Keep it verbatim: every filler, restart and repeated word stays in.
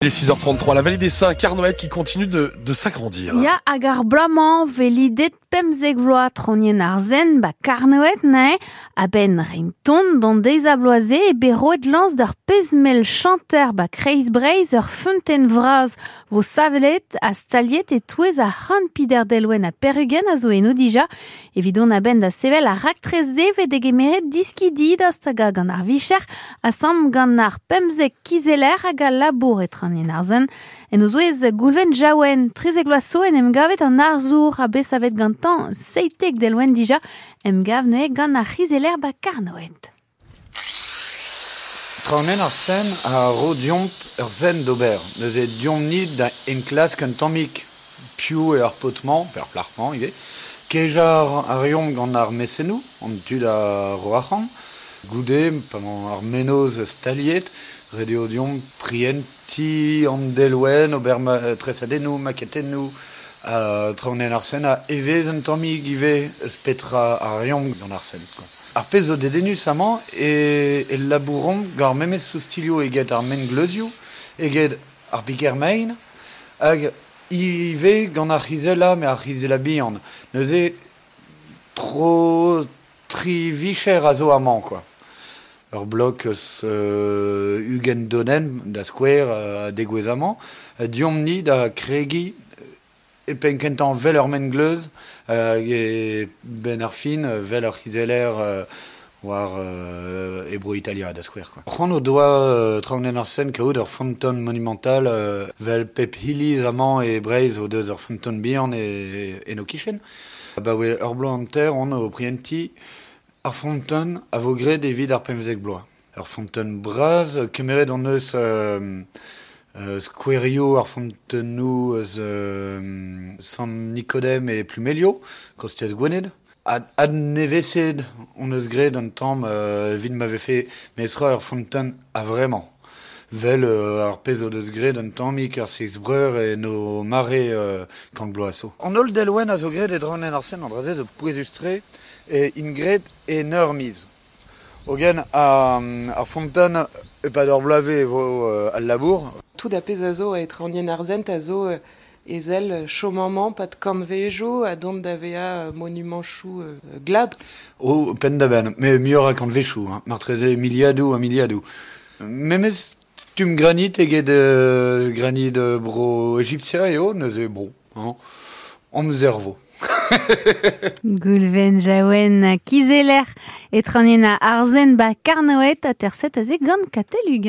Il est six heures trente-trois, la vallée des Saints, Carnoët qui continue de, de s'agrandir. Ya hag ar bloaz-mañ velidet pemzek vloaz tronien ar zen ba Carnoët nae a-benn rein ton d'an deiz a bloaze e bet roet lañs d'ur pezh-mell chanter ba Kreiz Breizh ur feunteun vras vo savelet ha staliet e touez ar c'hant pider delwenn ha perugen a zo eno dija. Evidon a-benn da sevel ar raktres-se ve degemeret diskidi da stagañ gant ar vicher asam gant ar pemzek kizeller hag al labour e traoñienn ar zen. En o zouez Goulven Jaouen, trizek vloaz zo en em gavet an arzour a bet savet gantañ seitek delwenn dija, em gav neuze gant ar c'hizeller ba Carnoët. Traoñienn ar zen a ro deomp ur zen d'ober. Neuze deomp-ni da enklask un tammig piv eo ar paotr-mañ, pe ar plac'h-mañ ivez. Kejañ a reomp gant ar mesennoù, an tud a ro arc'hant. Goude, pa emañ ar mennozh staliet, ret eo deomp prientiñ an delwenn, ober ma, tresadennoù, maketennoù, uh, traoñienn ar zen a evez un tammig ivez eus petra a reomp gant ar zen, quoi. Ar pezh zo dedennus amañ e, e labouromp gant ar memes soustilioù eget ar mengleuzioù, eget ar piker-mein, hag ivez gant ar c'hizella, met ar c'hizella bihan. Neuze, tro tri vicher a zo amañ, quoi. Ur blok eus euh, ugent donenn da skouer euh, degouezh amañ, deomp-ni da kregiñ e penn kentañ vel ur mengleuz hag e benn ar fin vel ur c'hizeller euh, war euh, e bro Italia da skouer, quoi. C'hoant o doa euh, traoñienn ar Seine kaout ur feunteun monumental euh, vel pep hiliz amañ e Breizh o deus ur feunteun bihan e, en o kichen. Ba oe ur bloaz hanter on o prientiñ ar feunteun a vo graet evit ar pemzek bloaz. Ur feunteun bras, kemeret hon eus euh, euh, skouerioù ar feunteunioù eus euh, Sant Nikodem e Plumelio, kostez Gwened. Ad, adneveset hon eus graet an tamm euh, evit ma vefe mestra ur feunteun a vremañ. Vel euh, ar pezh o deus graet an tammig ar seiz breur e no mare euh, kant bloaz zo. An holl delwenn a zo graet e draoñienn ar Seine an dra-se zo pouezus-tre e int graet en ur miz. Hogen ar, ar feunteun e-pad ur bloavezh e vo euh, al labour. Tout a pezh a zo e traoñienn ar Sent a zo euh, ezel chom amañ pad kantvejoù a dont da vezañ monumanchoù euh, glad. O, penn da benn, met muioc'h a kantvejoù, hein. Martreze miliadoù ha miliadoù. Memes stumm granit eget euh, granit bro Egiptia eo, neuze bon, hein, amzer vo. Goulven Jaouen kizeller e traoñienn ar Zen ba Carnoët a terset aze gant Katell Uguen.